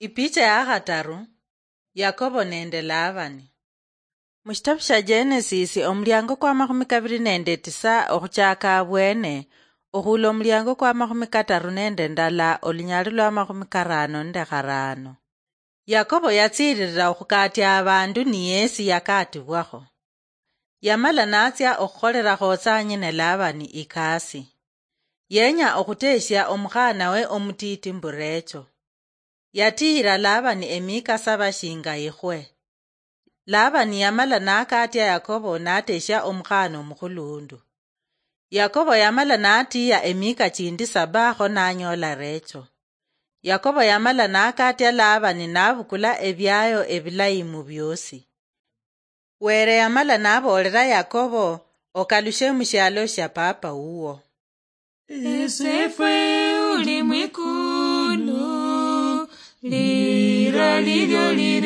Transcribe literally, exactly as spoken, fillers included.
Ipicha ya khataru. Yakobo nende Labani. Mushitabu sha Genesis, omuliango kwa makhumi kabiri nende tisa okhuchaka abwene, okhula omuliango kwa makhumi kataru nende ndala, olunyali lwa makhumi karano nende kharano. Yakobo yatsiririra okhukatia abandu ni yesi yakatibwakho. Yamala natsia okhukholera khotsanyine Labani ikasi. Yenya okhuteshia omukhanawe omutiti mbu Recho. Yatiyira Labani emika saba shinga ikhwe. Labani yamala nakatia Yakobo nateshia omukhana omukhulundu. Yakobo yamala natiya emika chindi saba kho nanyola Recho. Yakobo yamala nakatia Labani nabukula ebiayo ebilayi mu biosi. Were yamala naboolera Yakobo, "Okalushe mu shialo shia papa wuwo." Esefwe uli mwikulu, lira lilyo li